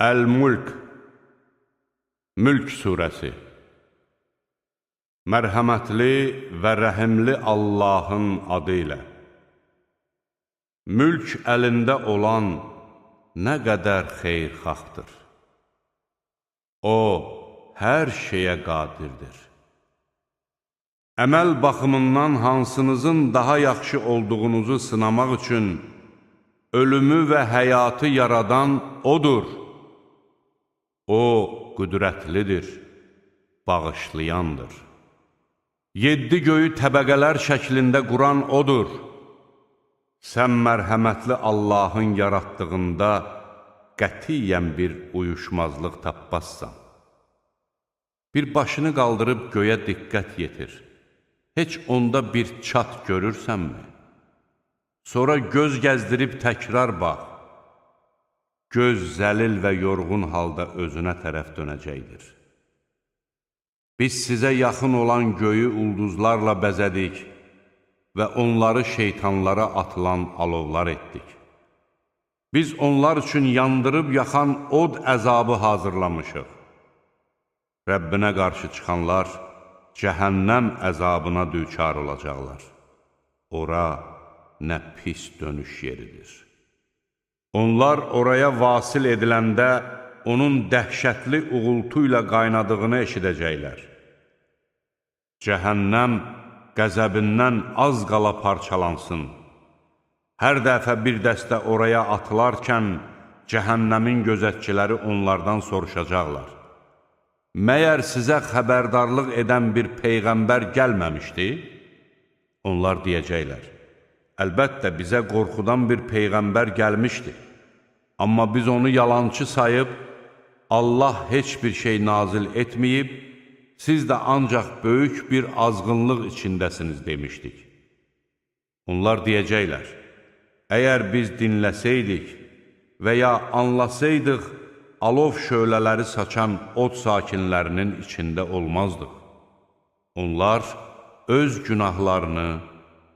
Əl-Mulk, Mülk surəsi. Mərhəmətli və rəhimli Allahın adı ilə. Mülk əlində olan nə qədər xeyirxahtır. O, hər şeyə qadirdir. Əməl baxımından hansınızın daha yaxşı olduğunuzu sınamaq üçün ölümü və həyatı yaradan O'dur. O, qüdrətlidir, bağışlayandır. 7 göyü təbəqələr şəklində quran O'dur. Sən mərhəmətli Allahın yaratdığında qətiyyən bir uyuşmazlıq tapmazsan. Bir başını qaldırıb göyə diqqət yetir. Heç onda bir çat görürsənmi? Sonra göz gəzdirib təkrar bax. Göz zəlil və yorğun halda özünə tərəf dönəcəkdir. Biz sizə yaxın olan göyü ulduzlarla bəzədik və onları şeytanlara atılan alovlar etdik. Biz onlar üçün yandırıb yaxan od əzabı hazırlamışıq. Rəbbinə qarşı çıxanlar cəhənnəm əzabına düçar olacaqlar. Ora nə pis dönüş yeridir. Onlar oraya vasil ediləndə onun dəhşətli uğultu ilə qaynadığını eşidəcəklər. Cəhənnəm qəzəbindən az qala parçalansın. Hər dəfə bir dəstə oraya atılarkən cəhənnəmin gözətçiləri onlardan soruşacaqlar. Məyər sizə xəbərdarlıq edən bir peyğəmbər gəlməmişdi? Onlar deyəcəklər. Əlbəttə bizə qorxudan bir peyğəmbər gəlmişdi. Amma biz onu yalançı sayıb, Allah heç bir şey nazil etməyib, siz də ancaq böyük bir azğınlıq içindəsiniz demişdik. Onlar deyəcəklər, əgər biz dinləsəydik və ya anlasaydıq, alov şölələri saçan od sakinlərinin içində olmazdıq. Onlar öz günahlarını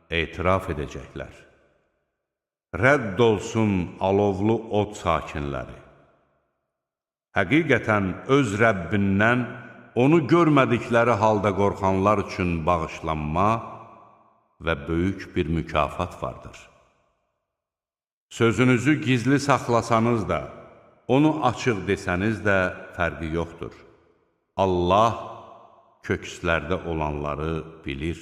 etiraf edəcəklər. Rədd olsun alovlu od sakinləri. Həqiqətən öz Rəbbindən onu görmədikləri halda qorxanlar üçün bağışlanma və böyük bir mükafat vardır. Sözünüzü gizli saxlasanız da, onu açıq desəniz də fərqi yoxdur. Allah kökslərdə olanları bilir.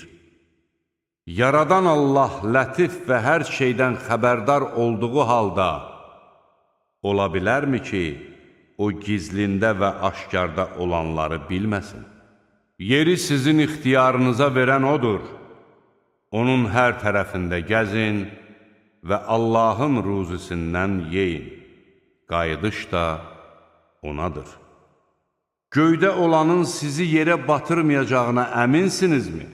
Yaradan Allah lətif və hər şeydən xəbərdar olduğu halda ola bilərmi ki, o gizlində və aşkarda olanları bilməsin? Yeri sizin ixtiyarınıza verən O'dur. Onun hər tərəfində gəzin və Allahın ruzisindən yeyin. Qayıdış da onadır. Göydə olanın sizi yerə batırmayacağına əminsinizmi?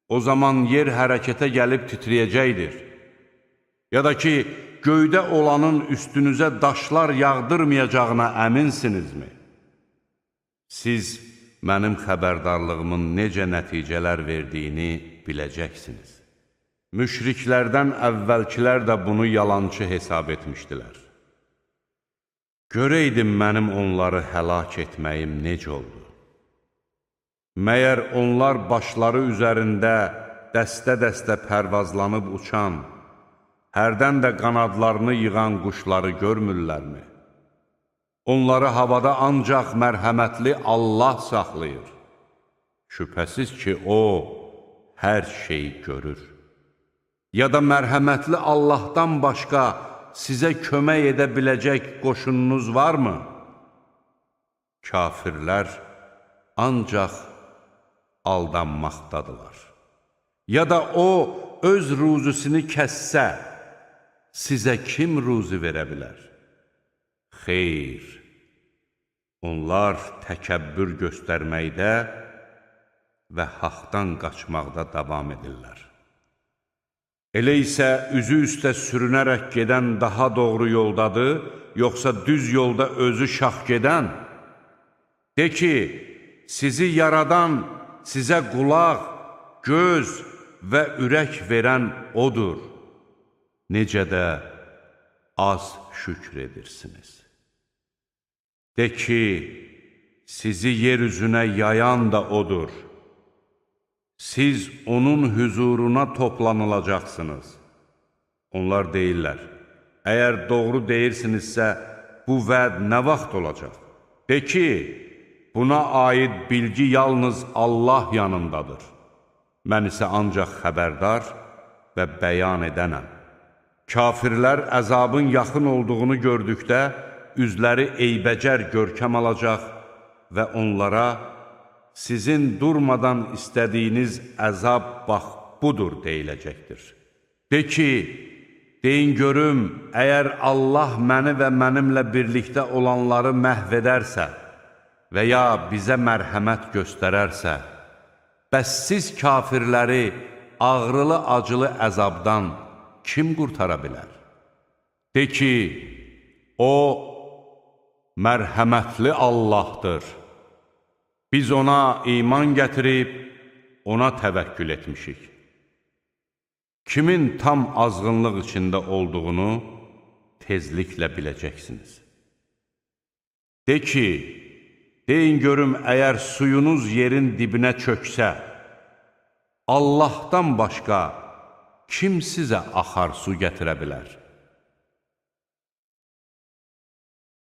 O zaman yer hərəkətə gəlib titriyəcəkdir. Ya da ki, göydə olanın üstünüzə daşlar yağdırmayacağına əminsinizmi? Siz mənim xəbərdarlığımın necə nəticələr verdiyini biləcəksiniz. Müşriklərdən əvvəlkilər də bunu yalançı hesab etmişdilər. Görəydim mənim onları həlak etməyim necə oldu? Məyər onlar başları üzərində dəstə-dəstə pərvazlanıb uçan, hərdən də qanadlarını yığan quşları görmürlərmi? Onları havada ancaq mərhəmətli Allah saxlayır. Şübhəsiz ki, O hər şeyi görür. Ya da mərhəmətli Allahdan başqa sizə kömək edə biləcək qoşununuz varmı? Kafirlər ancaq aldanmaqdadılar. Ya da O öz ruzusunu kəssə, sizə kim ruzi verə bilər? Xeyr, onlar təkəbbür göstərməkdə və haqdan qaçmaqda davam edirlər. Elə isə üzü üstə sürünərək gedən daha doğru yoldadır, yoxsa düz yolda özü şax gedən? De ki, sizi yaradan, sizə qulaq, göz və ürək verən O'dur. Necə də az şükr edirsiniz. De ki, sizi yer üzünə yayan da odur. Siz onun hüzuruna toplanılacaqsınız. Onlar deyirlər, əgər doğru deyirsinizsə, bu vəd nə vaxt olacaq? De ki, buna aid bilgi yalnız Allah yanındadır. Mən isə ancaq xəbərdar və bəyan edənəm. Kafirlər əzabın yaxın olduğunu gördükdə, üzləri eybəcər görkəm alacaq və onlara, sizin durmadan istədiyiniz əzab bax budur deyiləcəkdir. De ki, deyin görüm, əgər Allah məni və mənimlə birlikdə olanları məhv edərsə və ya bizə mərhəmət göstərərsə, bəs siz kafirləri ağrılı-acılı əzabdan kim qurtara bilər? De ki, o mərhəmətli Allahdır. Biz ona iman gətirib, ona təvəkkül etmişik. Kimin tam azğınlıq içində olduğunu tezliklə biləcəksiniz. De ki, deyin görüm, əgər suyunuz yerin dibinə çöksə, Allahdan başqa kim sizə axar su gətirə bilər?